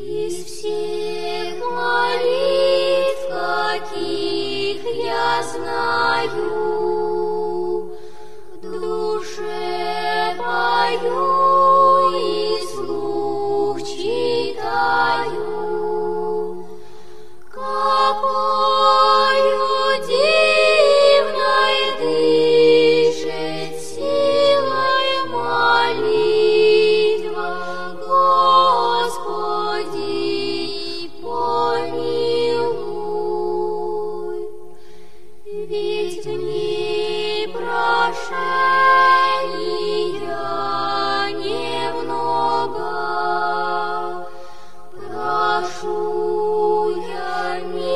Из всех молитв, каких я знаю, в душе пою и вслух читаю, какою дивной дышит силой молитва, Господи, помилуй. Ведь мне прошения немного, прошу я милости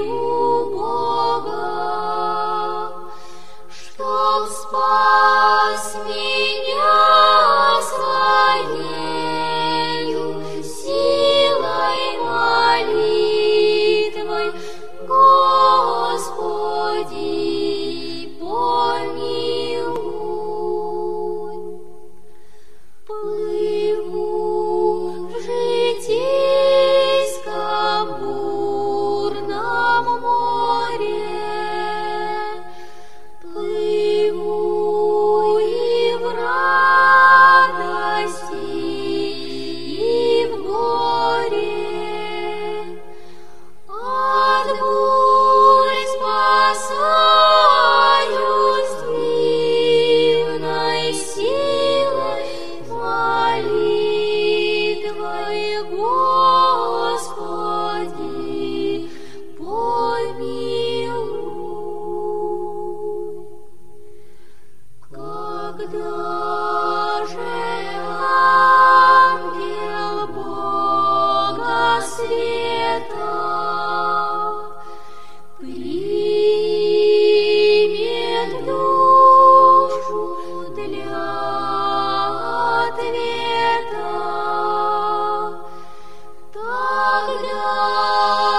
у Бога, чтоб спас меня своею силой молитвой, Господи, помилуй. Плыву в житейском бурном море, плыву и в радости, и в горе, от бурь спасаюсь дивной силой молитвой, Господи, помилуй. Когда же ангел Бога света примет душу для ответа, тогда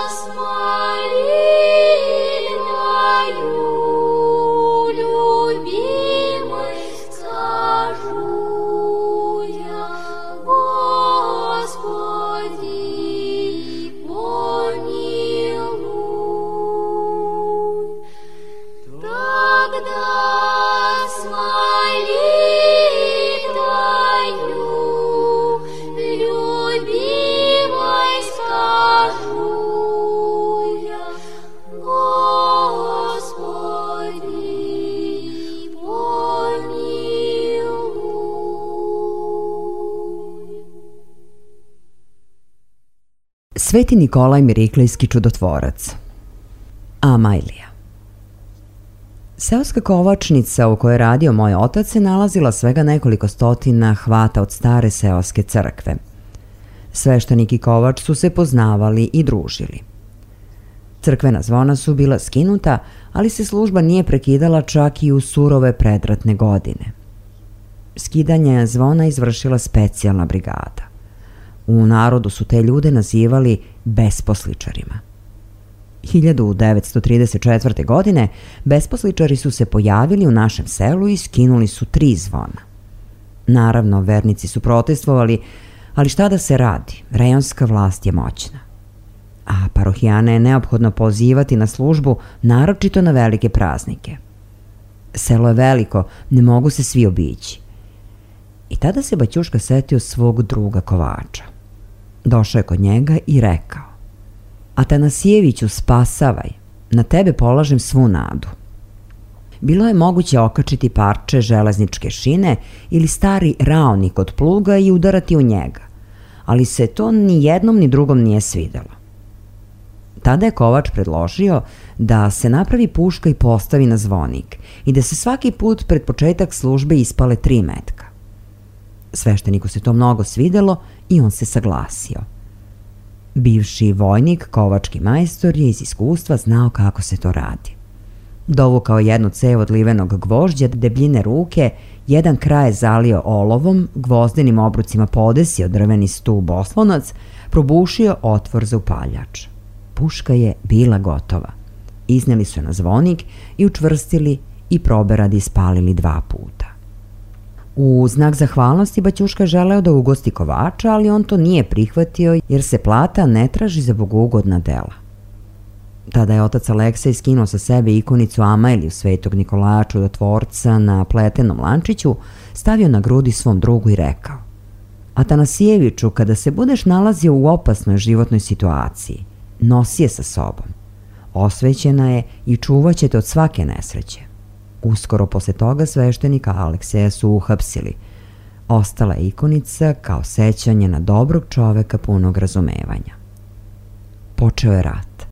с молитвою любимой скажу я, Господи, помилуй. Тогда с молитвою любимой скажу я, Господи, помилуй. Sveti Nikolaj Miriklejski čudotvorac. Amajlija. Seoska kovačnica u kojoj je radio moj otac se nalazila svega nekoliko stotina hvata od stare seoske crkve. Sveštenik i kovač su se poznavali i družili. Crkvena zvona su bila skinuta, ali se služba nije prekidala čak i u surove predratne godine. Skidanje zvona izvršila specijalna brigada. U narodu su te ljude nazivali besposličarima. 1934. godine besposličari su se pojavili u našem selu i skinuli su 3 zvona. Naravno, vernici su protestovali, ali šta da se radi, rejonska vlast je moćna. A parohijane je neophodno pozivati na službu, naročito na velike praznike. Selo je veliko, ne mogu se svi obići. I tada se Baćuška setio svog druga kovača. Došao je kod njega i rekao: Atanasijeviću, spasavaj, na tebe polažem svu nadu. Bilo je moguće okačiti parče železničke šine ili stari raonik od pluga i udarati u njega, ali se to ni jednom ni drugom nije svidelo. Tada je kovač predložio da se napravi puška i postavi na zvonik i da se svaki put pred početak službe ispale 3 metka. Svešteniku se to mnogo svidelo i on se saglasio. Bivši vojnik, kovački majstor, je iz iskustva znao kako se to radi. Dovukao jednu cev od livenog gvožđa debljine ruke, jedan kraj zalio olovom, gvozdenim obrucima podesio drveni stub oslonac, probušio otvor za upaljač. Puška je bila gotova. Izneli su je na zvonik i učvrstili i proberadi spalili 2 puta. U znak zahvalnosti Baćuška želeo da ugosti Kovača, ali on to nije prihvatio jer se plata ne traži za bogougodna dela. Tada je otac Aleksej skinuo sa sebe ikonicu Amailiju Svetog Nikolaja Čudotvorca na pletenom lančiću, stavio na grudi svom drugu i rekao: Atanasijeviću, kada se budeš nalazio u opasnoj životnoj situaciji, nosi je sa sobom. Osvećena je i čuvat će te od svake nesreće. Uskoro posle toga sveštenika Alekseja su uhapsili. Ostala je ikonica kao sećanje na dobrog čoveka punog razumevanja. Počeo je rat.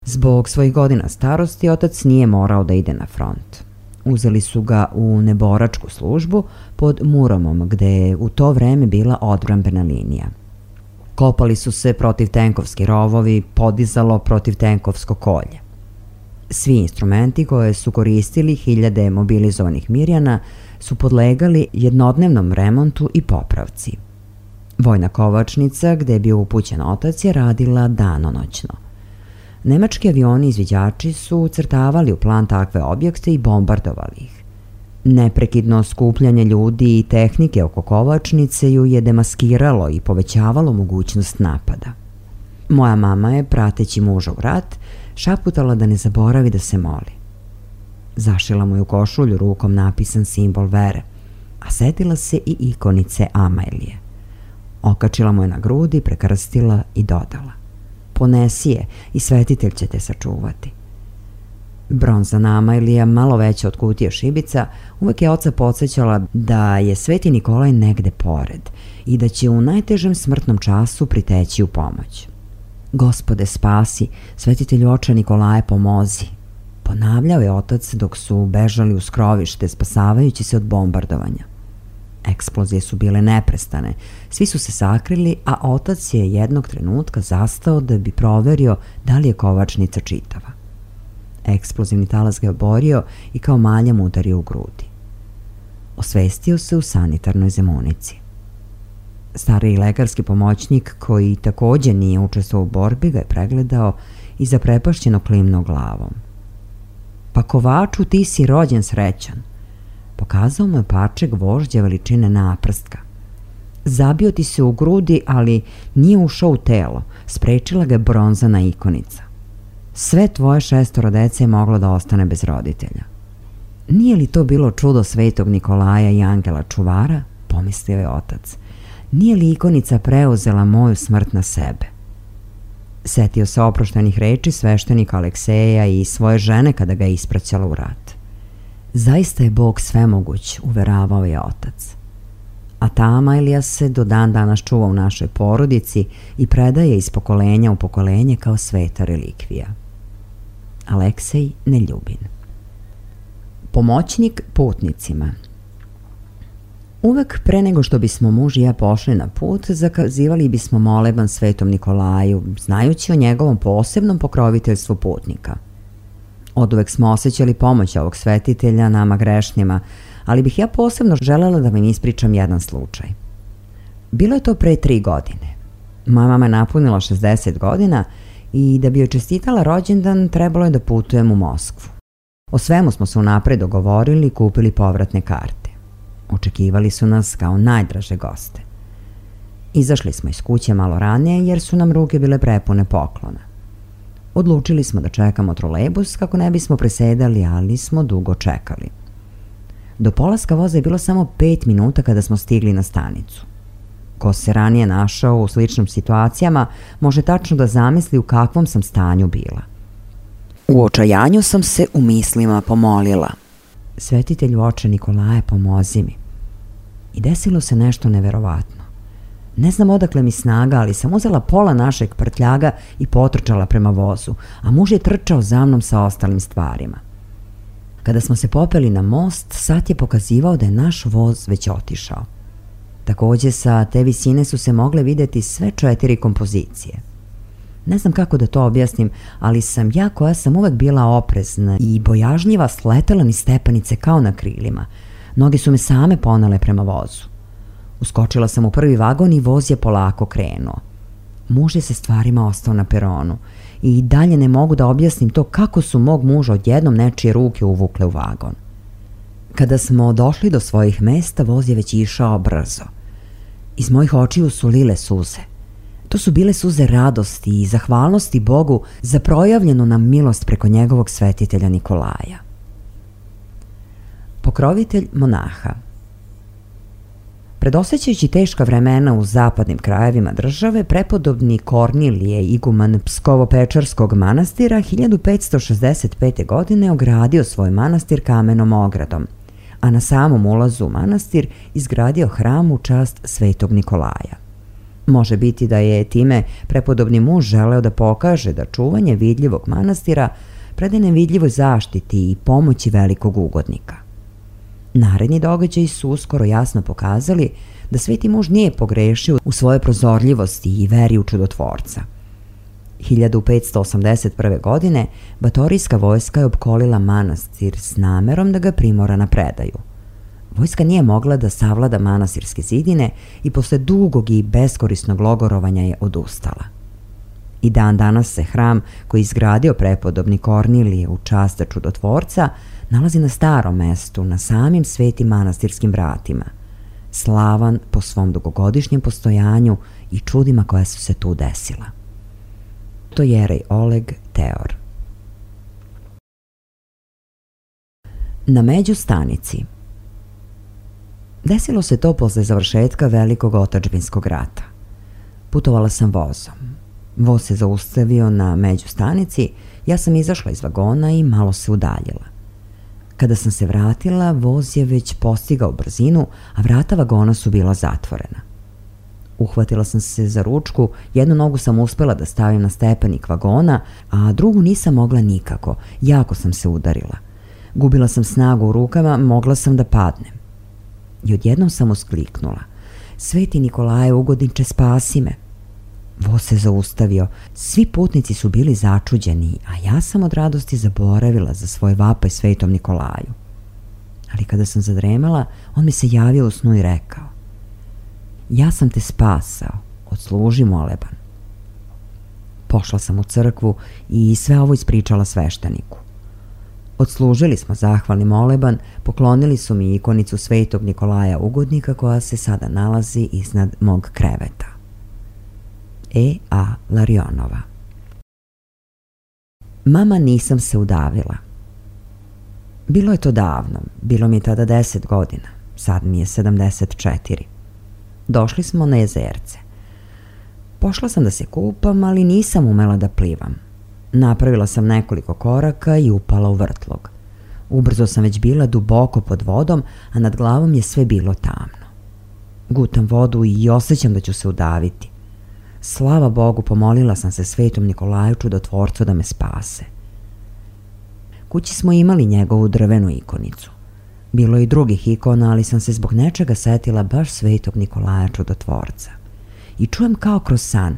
Zbog svojih godina starosti otac nije morao da ide na front. Uzeli su ga u neboračku službu pod Muromom, gde je u to vreme bila odbrambena linija. Kopali su se protivtenkovski rovovi, podizalo protivtenkovsko kolje. Svi instrumenti koje su koristili hiljade mobilizovanih Mirjana su podlegali jednodnevnom remontu i popravci. Vojna kovačnica, gde je bio upućen otac, je radila danonoćno. Nemački avioni izviđači su ucrtavali u plan takve objekte i bombardovali ih. Neprekidno skupljanje ljudi i tehnike oko kovačnice ju je demaskiralo i povećavalo mogućnost napada. Moja mama je, prateći muža u rat, šaputala da ne zaboravi da se moli. Zašila mu je u košulju rukom napisan simbol vere, a setila se i ikonice Amailije. Okačila mu je na grudi, prekrstila i dodala: Ponesi je i svetitelj će te sačuvati. Bronzana Amailija, malo veća od kutije šibica, uvek je oca podsjećala da je Sveti Nikolaj negde pored i da će u najtežem smrtnom času priteći u pomoć. Gospode spasi, svetitelju oče Nikolaje pomozi, ponavljao je otac dok su bežali u skrovište, spasavajući se od bombardovanja. Eksplozije su bile neprestane, svi su se sakrili, a otac je jednog trenutka zastao da bi proverio da li je kovačnica čitava. Eksplozivni talas ga je oborio i kao malja mu udario u grudi. Osvestio se u sanitarnoj zemunici. Stariji lekarski pomoćnik, koji takođe nije učestvovao u borbi, ga je pregledao i zaprepašćeno klimnuo glavom. Pa Kovaču, ti si rođen srećan. Pokazao mu je parče gvožđa veličine naprstka. Zabio ti se u grudi, ali nije ušao u telo, sprečila ga je bronzana ikonica. Sve tvoje 6 dece je moglo da ostane bez roditelja. Nije li to bilo čudo Svetog Nikolaja i angela čuvara, pomislio je otac. Nije li ikonica preuzela moju smrt na sebe? Setio se oproštenih reči sveštenika Alekseja i svoje žene kada ga je ispraćala u rat. Zaista je Bog svemoguć, uveravao je otac. A ta Amailija se do dan danas čuva u našoj porodici i predaje iz pokolenja u pokolenje kao sveta relikvija. Aleksej Neljubin. Pomoćnik putnicima. Uvek pre nego što bismo muž i ja pošli na put, zakazivali bismo moleban Svetom Nikolaju, znajući o njegovom posebnom pokroviteljstvu putnika. Oduvek smo osjećali pomoć ovog svetitelja nama grešnjima, ali bih ja posebno želela da vam ispričam jedan slučaj. Bilo je to pre 3 godine. Moja mama je napunila 60 godina i da bi joj čestitala rođendan trebalo je da putujem u Moskvu. O svemu smo se unapred dogovorili i kupili povratne karte. Očekivali su nas kao najdraže goste. Izašli smo iz kuće malo ranije jer su nam ruke bile prepune poklona. Odlučili smo da čekamo trolejbus kako ne bismo presedali, ali smo dugo čekali. Do polaska voza je bilo samo 5 minuta kada smo stigli na stanicu. Ko se ranije našao u sličnim situacijama može tačno da zamisli u kakvom sam stanju bila. U očajanju sam se u mislima pomolila: Svetitelju oče Nikolaje, pomozi mi. I desilo se nešto neverovatno. Ne znam odakle mi snaga, ali sam uzela pola našeg prtljaga i potrčala prema vozu, a muž je trčao za mnom sa ostalim stvarima. Kada smo se popeli na most, sat je pokazivao da je naš voz već otišao. Takođe, sa te visine su se mogle videti sve 4 kompozicije. Ne znam kako da to objasnim, ali sam ja, koja sam uvek bila oprezna i bojažljiva, sletela niz stepenice kao na krilima. Noge su me same ponele prema vozu. Uskočila sam u prvi vagon i voz je polako krenuo. Muž je sa stvarima ostao na peronu i dalje ne mogu da objasnim to kako su mog muža odjednom nečije ruke uvukle u vagon. Kada smo došli do svojih mesta, voz je već išao brzo. Iz mojih očiju su lile suze. To su bile suze radosti i zahvalnosti Bogu za projavljenu nam milost preko njegovog svetitelja Nikolaja. Pokrovitelj monaha. Predosećajući teška vremena u zapadnim krajevima države, prepodobni Kornilije, iguman Pskovo-Pečarskog manastira, 1565. godine ogradio svoj manastir kamenom ogradom, a na samom ulazu u manastir izgradio hram u čast svetog Nikolaja. Može biti da je time prepodobni muž želeo da pokaže da čuvanje vidljivog manastira predaje nevidljivoj zaštiti i pomoći velikog ugodnika. Naredni događaji su uskoro jasno pokazali da sveti muž nije pogrešio u svojoj prozorljivosti i veri u čudotvorca. 1581. godine batorijska vojska je opkolila manastir s namerom da ga primora na predaju. Vojska nije mogla da savlada manastirske zidine i posle dugog i beskorisnog logorovanja je odustala. I dan danas se hram koji je izgradio prepodobni Kornilije u čast čudotvorca nalazi na starom mestu, na samim svetim manastirskim vratima, slavan po svom dugogodišnjem postojanju i čudima koja su se tu desila. To je jerej Oleg Teor. Na Međustanici. Desilo se to posle završetka velikog otadžbinskog rata. Putovala sam vozom. Voz se zaustavio na Međustanici, ja sam izašla iz vagona i malo se udaljila. Kada sam se vratila, voz je već postigao brzinu, a vrata vagona su bila zatvorena. Uhvatila sam se za ručku, jednu nogu sam uspela da stavim na stepenik vagona, a drugu nisam mogla nikako, jako sam se udarila. Gubila sam snagu u rukama, mogla sam da padnem. I odjednom sam uskliknula: Sveti Nikolaje, ugodniče, spasi me. Voz se zaustavio, svi putnici su bili začuđeni, a ja sam od radosti zaboravila za svoj vapaj svetom Nikolaju. Ali kada sam zadremala, on mi se javio u snu i rekao: Ja sam te spasao, odsluži moleban. Pošla sam u crkvu i sve ovo ispričala svešteniku. Odslužili smo zahvalni moleban, poklonili su mi ikonicu svetog Nikolaja ugodnika koja se sada nalazi iznad mog kreveta. E.A. Larionova. Mama, nisam se udavila. Bilo je to davno, bilo mi je tada 10 godina, sad mi je 74. Došli smo na jezerce. Pošla sam da se kupam, ali nisam umela da plivam. Napravila sam nekoliko koraka i upala u vrtlog. Ubrzo sam već bila duboko pod vodom, a nad glavom je sve bilo tamno. Gutam vodu i osjećam da ću se udaviti. Slava Bogu, pomolila sam se svetom Nikolaju čudotvorcu da me spase. Kući smo imali njegovu drvenu ikonicu. Bilo je i drugih ikona, ali sam se zbog nečega setila baš svetog Nikolaja čudotvorca. I čujem kao kroz san: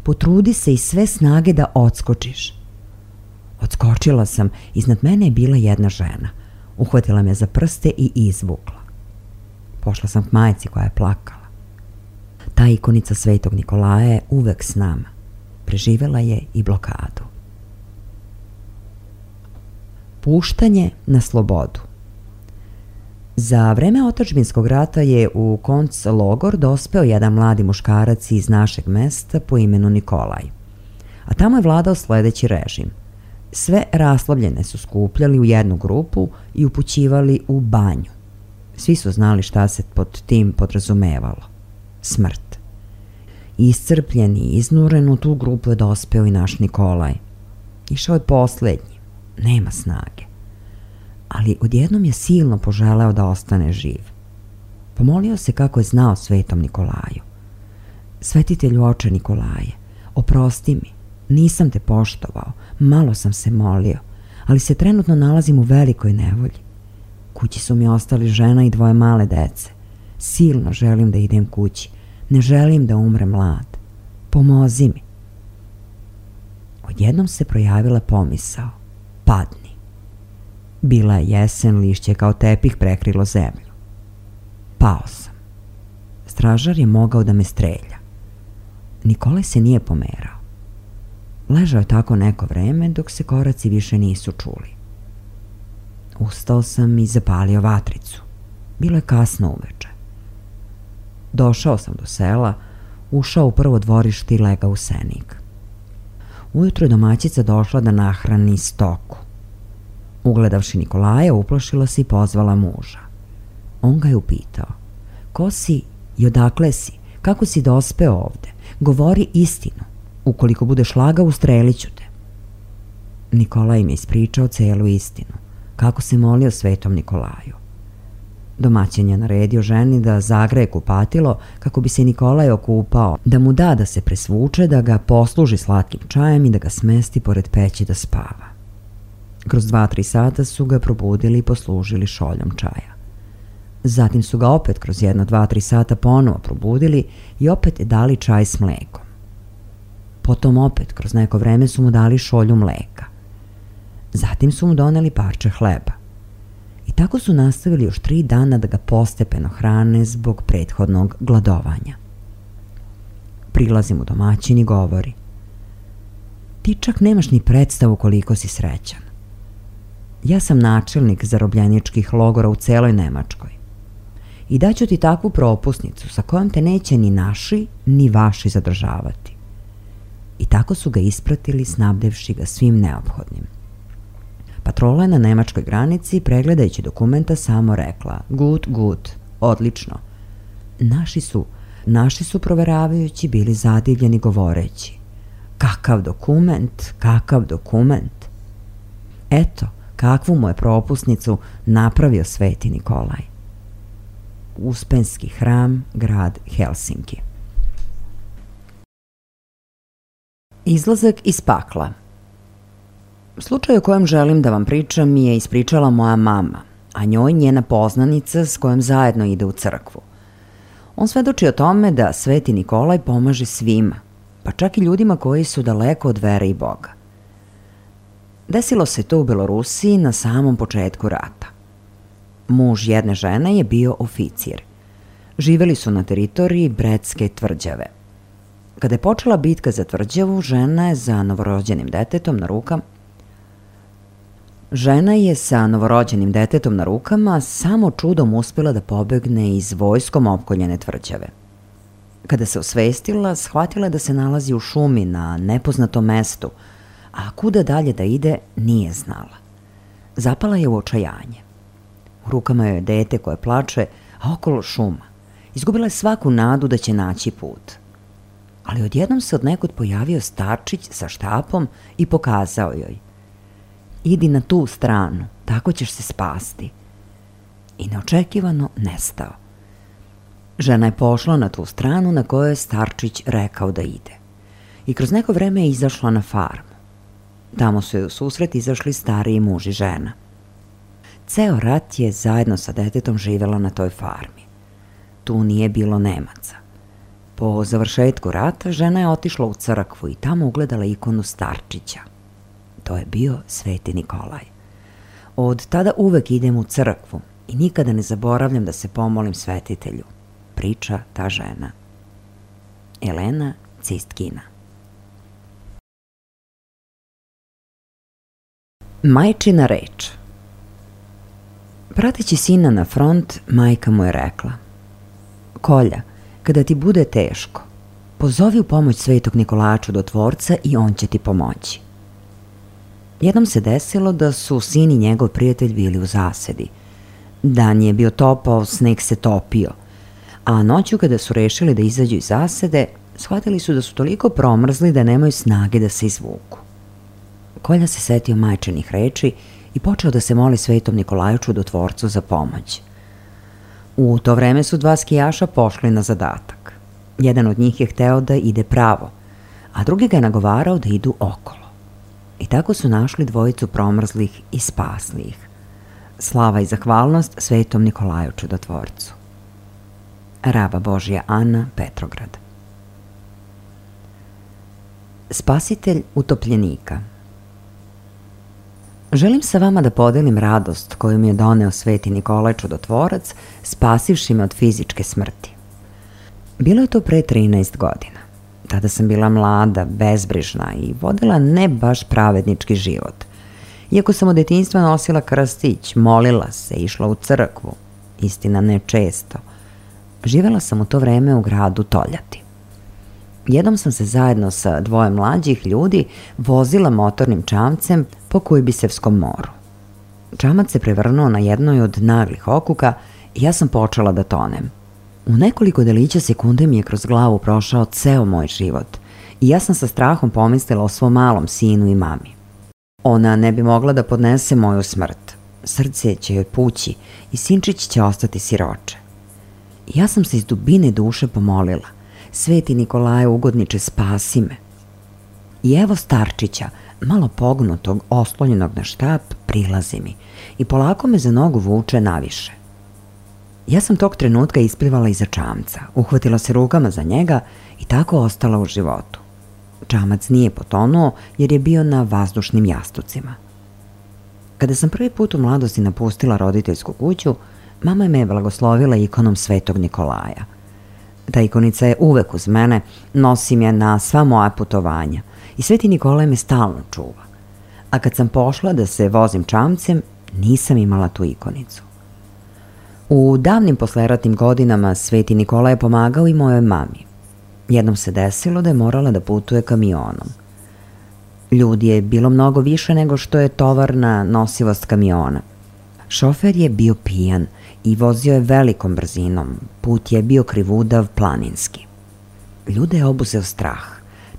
potrudi se i sve snage da odskočiš. Odskočila sam, iznad mene je bila jedna žena. Uhvatila me za prste i izvukla. Pošla sam k majci koja je plakala. Ta ikonica svetog Nikolaja je uvek s nama. Preživela je i blokadu. Puštanje na slobodu. Za vreme otadžbinskog rata je u konclogor dospeo jedan mladi muškarac iz našeg mesta po imenu Nikolaj. A tamo je vladao sledeći režim. Sve raslovljene su skupljali u jednu grupu i upućivali u banju. Svi su znali šta se pod tim podrazumevalo. Smrt. Iscrpljen i iznuren, u tu grupu je dospeo i naš Nikolaj. Išao je poslednji, nema snage. Ali odjednom je silno poželeo da ostane živ. Pomolio se kako je znao svetom Nikolaju. Svetitelju oče Nikolaje, oprosti mi, nisam te poštovao, malo sam se molio, ali se trenutno nalazim u velikoj nevolji. Kući su mi ostali žena i 2 male dece. Silno želim da idem kući, ne želim da umrem mlad. Pomozi mi. Odjednom se projavila pomisao: padni. Bila je jesen, lišće kao tepih prekrilo zemlju. Pao sam. Stražar je mogao da me strelja. Nikolaj se nije pomerao. Ležao je tako neko vreme dok se koraci više nisu čuli. Ustao sam i zapalio vatricu. Bilo je kasno uveče. Došao sam do sela, ušao u prvo dvorište i legao u senik. Ujutro je domaćica došla da nahrani stoku. Ugledavši Nikolaja, uplašila se i pozvala muža. On ga je upitao: ko si i odakle si? Kako si dospeo ovde? Govori istinu. Ukoliko budeš lagao, ustrelit ću te. Nikolaj im je ispričao celu istinu, kako se molio Svetom Nikolaju. Domaćin je naredio ženi da zagreje kupatilo kako bi se Nikolaj okupao, da mu da se presvuče, da ga posluži slatkim čajem i da ga smesti pored peći da spava. Kroz 2-3 sata su ga probudili i poslužili šoljom čaja. Zatim su ga opet kroz 1-2-3 sata ponovo probudili i opet dali čaj s mlekom. Potom opet kroz neko vreme su mu dali šolju mleka. Zatim su mu doneli parče hleba. I tako su nastavili još 3 dana da ga postepeno hrane zbog prethodnog gladovanja. Prilazi mu domaćin i govori: ti čak nemaš ni predstavu koliko si srećan. Ja sam načelnik zarobljeničkih logora u celoj Nemačkoj. I daću ti takvu propusnicu sa kojom te neće ni naši ni vaši zadržavati. I tako su ga ispratili, snabdevši ga svim neophodnim. Patrola je na nemačkoj granici, pregledajući dokumenta, samo rekla: gut, odlično. Naši su proveravajući bili zadivljeni govoreći: kakav dokument. Eto, kakvu mu je propusnicu napravio Sveti Nikolaj. Uspenski hram, grad Helsinki. Izlazak iz pakla. Slučaj o kojem želim da vam pričam mi je ispričala moja mama, a njoj njena poznanica s kojom zajedno ide u crkvu. On svedoči o tome da Sveti Nikolaj pomaže svima, pa čak i ljudima koji su daleko od vere i Boga. Desilo se to u Belorusiji na samom početku rata. Muž jedne žene je bio oficir. Živeli su na teritoriji Bredske tvrđave. Kada je počela bitka za tvrđavu, žena je sa novorođenim detetom na rukama samo čudom uspjela da pobegne iz vojskom opkoljene tvrđave. Kada se osvestila, shvatila je da se nalazi u šumi na nepoznatom mestu, a kuda dalje da ide nije znala. Zapala je u očajanje. U rukama joj je dete koje plače, a okolo šuma. Izgubila je svaku nadu da će naći put. Ali odjednom se od nekud pojavio starčić sa štapom i pokazao joj: idi na tu stranu, tako ćeš se spasti. I neočekivano nestao. Žena je pošla na tu stranu na kojoj je starčić rekao da ide. I kroz neko vreme je izašla na farmu. Tamo su joj u susret izašli stariji muž i žena. Ceo rat je zajedno sa detetom živela na toj farmi. Tu nije bilo Nemaca. Po završetku rata žena je otišla u crkvu i tamo ugledala ikonu starčića. To je bio Sveti Nikolaj. Od tada uvek idem u crkvu i nikada ne zaboravljam da se pomolim svetitelju, priča ta žena. Elena Cistkina. Majčina reč. Prateći sina na front, majka mu je rekla: Kolja, kada ti bude teško, pozovi u pomoć Svetog Nikolaja Čudotvorca i on će ti pomoći. Jednom se desilo da su sin i njegov prijatelj bili u zasedi. Dan je bio topao, sneg se topio, a noću kada su rešili da izađu iz zasede, shvatili su da su toliko promrzli da nemaju snage da se izvuku. Kolja se setio majčinih reči i počeo da se moli Svetom Nikolaju Čudotvorcu za pomoć. U to vreme su 2 skijaša pošli na zadatak. Jedan od njih je hteo da ide pravo, a drugi ga je nagovarao da idu okolo. I tako su našli 2 promrzlih i spasli ih. Slava i zahvalnost Svetom Nikolaju Čudotvorcu. Raba Božja Ana, Petrograd. Spasitelj utopljenika. Želim sa vama da podelim radost koju mi je doneo Sveti Nikolaj Čudotvorac, spasivši me od fizičke smrti. Bilo je to pre 13 godina. Tada sam bila mlada, bezbrižna i vodila ne baš pravednički život. Iako sam od detinjstva nosila krstić, molila se, išla u crkvu, istina ne često, živela sam u to vreme u gradu Toljati. Jednom sam se zajedno sa dvoje mlađih ljudi vozila motornim čamcem po Kujbisevskom moru. Čamac se prevrnuo na jednoj od naglih okuka i ja sam počela da tonem. U nekoliko delića sekunde mi je kroz glavu prošao ceo moj život i ja sam sa strahom pomislila o svom malom sinu i mami. Ona ne bi mogla da podnese moju smrt. Srce će joj pući i sinčić će ostati siroče. Ja sam se iz dubine duše pomolila: Sveti Nikolaje ugodniče, spasi me. I evo starčića, malo pognutog, oslonjenog na štap, prilazi mi i polako me za nogu vuče naviše. Ja sam tog trenutka isplivala iza čamca, uhvatila se rukama za njega i tako ostala u životu. Čamac nije potonuo jer je bio na vazdušnim jastucima. Kada sam prvi put u mladosti napustila roditeljsku kuću, mama je me blagoslovila ikonom Svetog Nikolaja. Ta ikonica je uvek uz mene, nosim je na sva moja putovanja i Sveti Nikolaj me stalno čuva. A kad sam pošla da se vozim čamcem, nisam imala tu ikonicu. U davnim posleratnim godinama Sveti Nikolaj je pomagao i mojoj mami. Jednom se desilo da je morala da putuje kamionom. Ljudi je bilo mnogo više nego što je tovarna nosivost kamiona. Šofer je bio pijan i vozio je velikom brzinom, put je bio krivudav, planinski. Ljude je obuzeo strah,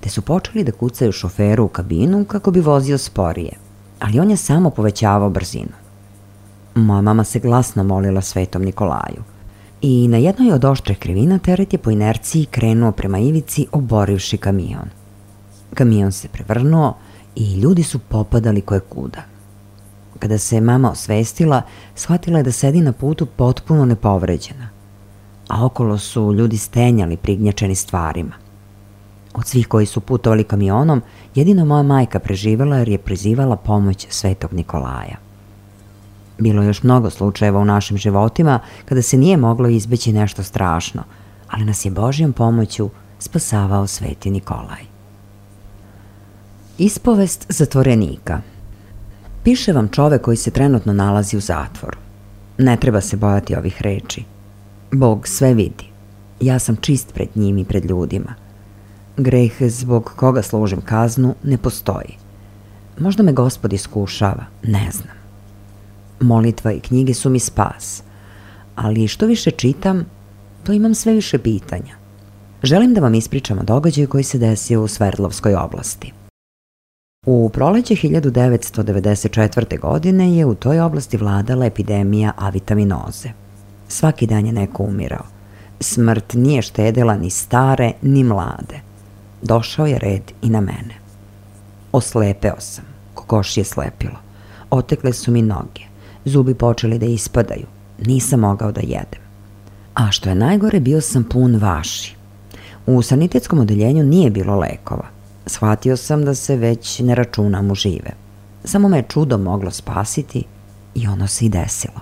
te su počeli da kucaju šoferu u kabinu kako bi vozio sporije, ali on je samo povećavao brzinu. Moja mama se glasno molila Svetom Nikolaju i na jednoj od oštrih krivina teret je po inerciji krenuo prema ivici, oborivši kamion. Kamion se prevrnuo i ljudi su popadali kojekuda. Kada se mama osvestila, shvatila je da sedi na putu potpuno nepovređena, a okolo su ljudi stenjali prignjačeni stvarima. Od svih koji su putovali kamionom, jedino moja majka preživela jer je prizivala pomoć Svetog Nikolaja. Bilo je još mnogo slučajeva u našim životima kada se nije moglo izbeći nešto strašno, ali nas je Božjom pomoću spasavao Sveti Nikolaj. Ispovest zatvorenika. Piše vam čovek koji se trenutno nalazi u zatvoru. Ne treba se bojati ovih reči. Bog sve vidi. Ja sam čist pred njim i pred ljudima. Greh zbog koga služim kaznu ne postoji. Možda me Gospod iskušava, ne znam. Molitva i knjige su mi spas, ali što više čitam, to imam sve više pitanja. Želim da vam ispričam o događaju koji se desio u Sverdlovskoj oblasti. U proleće 1994. godine je u toj oblasti vladala epidemija avitaminoze. Svaki dan je neko umirao. Smrt nije štedela ni stare, ni mlade. Došao je red i na mene. Oslepeo sam, kokoš je slepilo. Otekle su mi noge. Zubi počeli da ispadaju. Nisam mogao da jedem. A što je najgore, bio sam pun vaši. U sanitetskom odeljenju nije bilo lekova. Shvatio sam da se već ne računam u žive. Samo me je čudo moglo spasiti i ono se i desilo.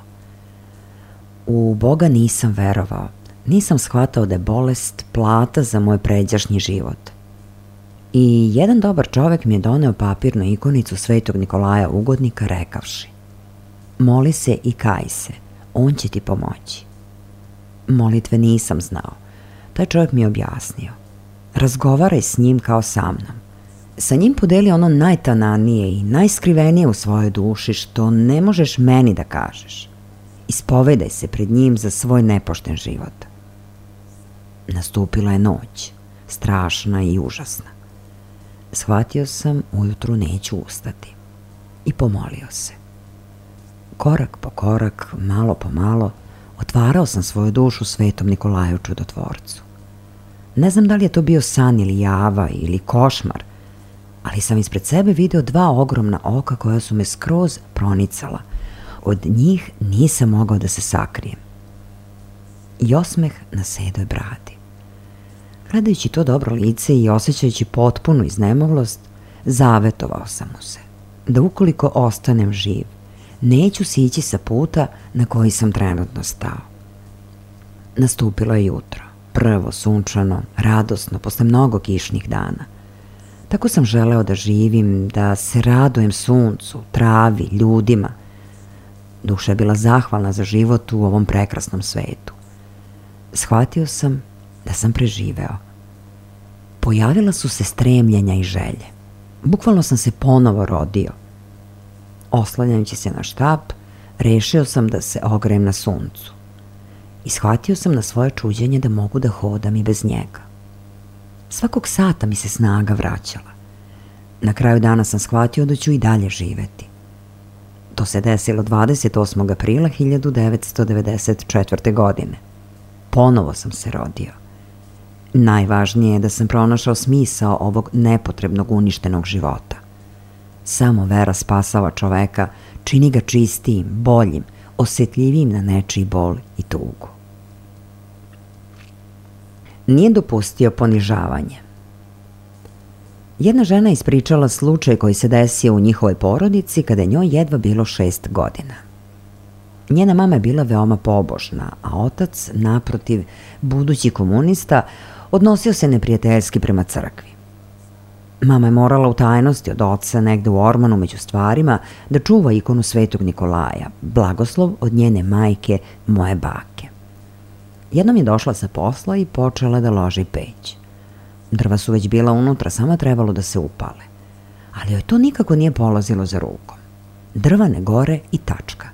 U Boga nisam verovao. Nisam shvatao da je bolest plata za moj pređašnji život. I jedan dobar čovek mi je doneo papirnu ikonicu Svetog Nikolaja ugodnika rekavši: moli se i kaj se, on će ti pomoći. Molitve nisam znao. Taj čovjek mi je objasnio: razgovaraj s njim kao sa mnom. Sa njim podeli ono najtananije i najskrivenije u svojoj duši što ne možeš meni da kažeš. Ispovedaj se pred njim za svoj nepošten život. Nastupila je noć, strašna i užasna. Shvatio sam, ujutru neću ustati. I pomolio se. Korak po korak, malo po malo, otvarao sam svoju dušu Svetom Nikolaju Čudotvorcu. Ne znam da li je to bio san ili java ili košmar, ali sam ispred sebe video dva ogromna oka koja su me skroz pronicala. Od njih nisam mogao da se sakrijem. I osmeh na sedoj bradi. Gledajući to dobro lice i osjećajući potpunu iznemoglost, zavetovao sam mu se da ukoliko ostanem živ, neću sići sa puta na koji sam trenutno stao. Nastupilo je jutro, prvo sunčano, radosno, posle mnogo kišnih dana. Tako sam želeo da živim, da se radujem suncu, travi, ljudima. Duša je bila zahvalna za život u ovom prekrasnom svetu. Shvatio sam da sam preživeo. Pojavila su se stremljenja i želje. Bukvalno sam se ponovo rodio. Oslanjajući se na štap, rešio sam da se ogrejem na suncu. I shvatio sam na svoje čuđenje da mogu da hodam i bez njega. Svakog sata mi se snaga vraćala. Na kraju dana sam shvatio da ću i dalje živeti. To se desilo 28. aprila 1994. godine. Ponovo sam se rodio. Najvažnije je da sam pronašao smisao ovog nepotrebnog uništenog života. Samo vera spasava čoveka, čini ga čistijim, boljim, osjetljivijim na nečiji bol i tugu. Nije dopustio ponižavanje. Jedna žena ispričala slučaj koji se desio u njihovoj porodici kada je njoj jedva bilo 6 godina. Njena mama je bila veoma pobožna, a otac, naprotiv, budući komunista, odnosio se neprijateljski prema crkvi. Mama je morala u tajnosti od oca negde u ormanu među stvarima da čuva ikonu Svetog Nikolaja, blagoslov od njene majke, moje bake. Jednom je došla sa posla i počela da loži peć. Drva su već bila unutra, samo trebalo da se upale. Ali joj to nikako nije polazilo za rukom. Drva ne gore i tačka.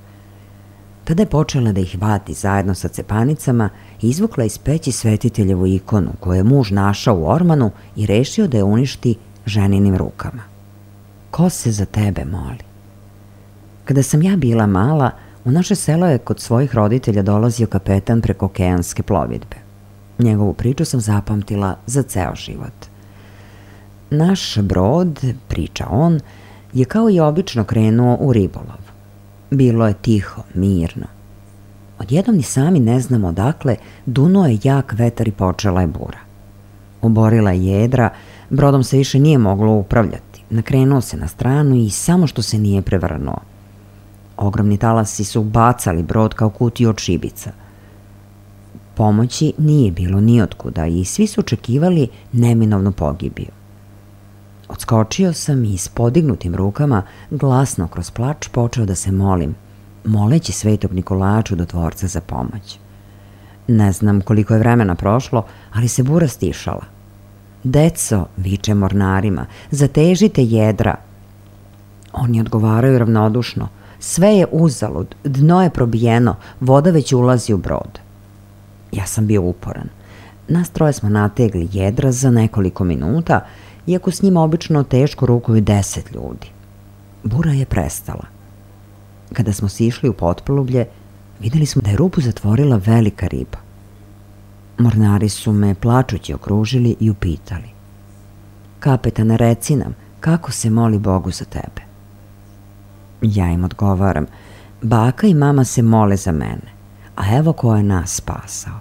Tada je počela da ih vadi zajedno sa cepanicama i izvukla iz peći svetiteljevu ikonu koju je muž našao u ormanu i rešio da je uništi ženinim rukama. Ko se za tebe moli? Kada sam ja bila mala, u naše selo je kod svojih roditelja dolazio kapetan preko okeanske plovidbe. Njegovu priču sam zapamtila za ceo život. Naš brod, priča on, je kao i obično krenuo u ribolov. Bilo je tiho, mirno. Odjednom ni sami ne znamo odakle, dunuo je jak vetar i počela je bura. Oborila je jedra, brodom se više nije moglo upravljati. Nakrenuo se na stranu i samo što se nije prevrnuo. Ogromni talasi su bacali brod kao kutiju od šibica. Pomoći nije bilo nijotkuda i svi su očekivali neminovnu pogibiju. Odskočio sam i s podignutim rukama, glasno kroz plač, počeo da se molim, moleći Svetog Nikolaja Čudotvorca za pomoć. Ne znam koliko je vremena prošlo, ali se bura stišala. Deco, viče mornarima, zatežite jedra. Oni odgovaraju ravnodušno, sve je uzalud, dno je probijeno, voda već ulazi u brod. Ja sam bio uporan. Nas troje smo nategli jedra za nekoliko minuta, iako s njima obično teško rukuju 10 ljudi. Bura je prestala. Kada smo sišli u potpolublje, videli smo da je rupu zatvorila velika riba. Mornari su me plačući okružili i upitali. Kapetane, reci nam, kako se moli Bogu za tebe? Ja im odgovaram, baka i mama se mole za mene, a evo ko je nas spasao.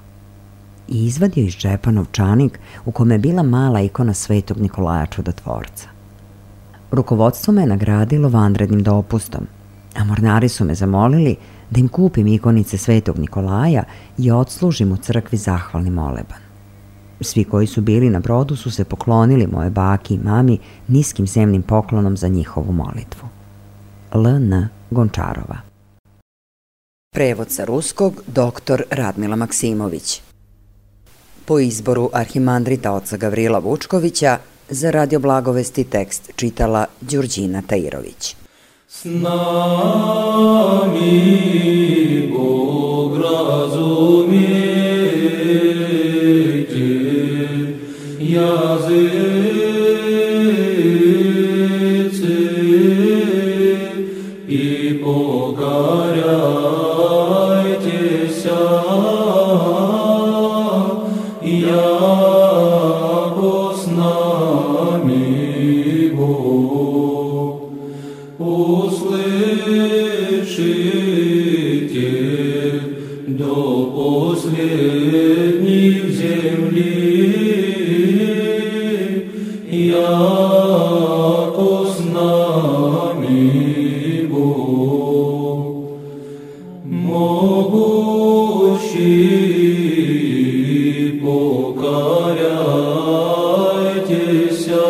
I izvadio iz džepa novčanik u kome je bila mala ikona Svetog Nikolaja Čudotvorca. Rukovodstvo me je nagradilo vanrednim dopustom, a mornari su me zamolili da im kupim ikonice Svetog Nikolaja i odslužim u crkvi zahvalni moleban. Svi koji su bili na brodu su se poklonili moje baki i mami niskim zemnim poklonom za njihovu molitvu. L.N. Gončarova. Prevod sa ruskog dr. Radmila Maksimović. Po izboru arhimandrita oca Gavrila Vučkovića, za Radio Blagovesti tekst čitala Đurđina Tajirović. S nami Bog razumijete, jazice i pokarajte se, jako s nami Bog. Услышите до последних земли, яко с нами Бог. Могущий, покоряйтеся,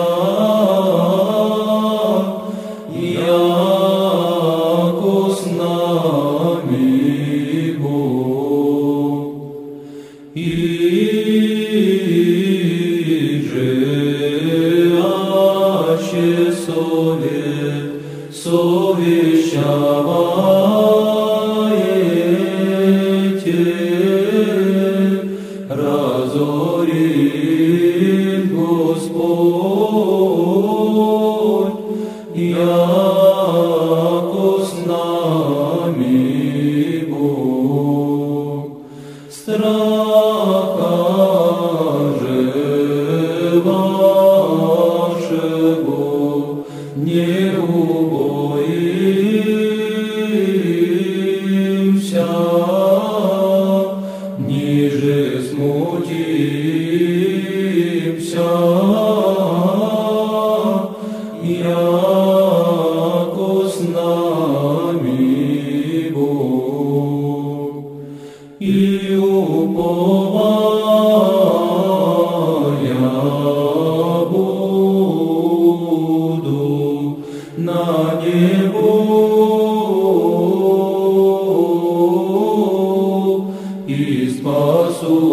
вашего не убоимся, ниже смутимся, яко с нами Бог, и уповая буду на Него, и спасуся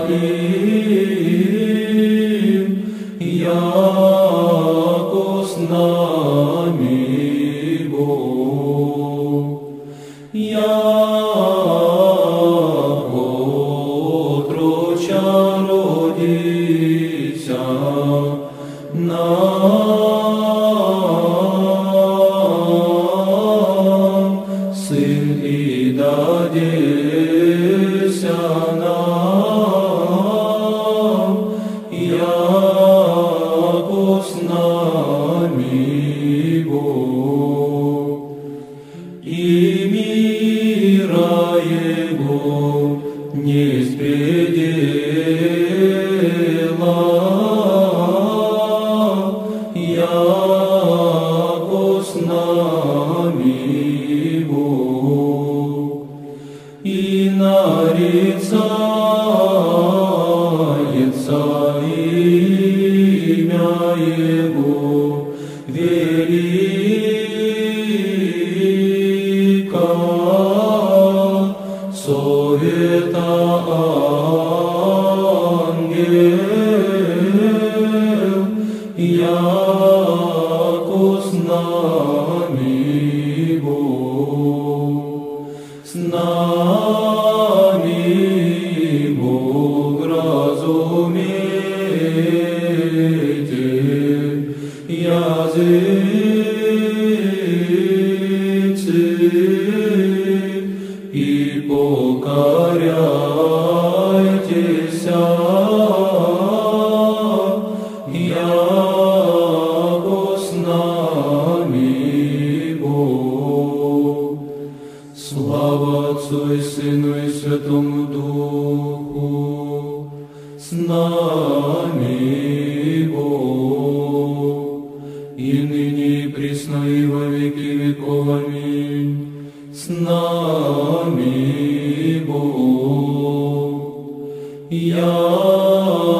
им, яко с нами Бог. Яко отроча родися нам, сын и дадеся нам, яко с нами Бог. И мира Его не спредела, яко с нами Бог, и нарицается имя Его велика, совета ангел, яко с нами Бог, с нами Бог разумейте, языцы, и покоряйтесь, яко с нами Бог. Слава Отцу и Сыну и Святому Духу, с нами Бог, и ныне и присно и во веки веков. Аминь. С нами Бог, яко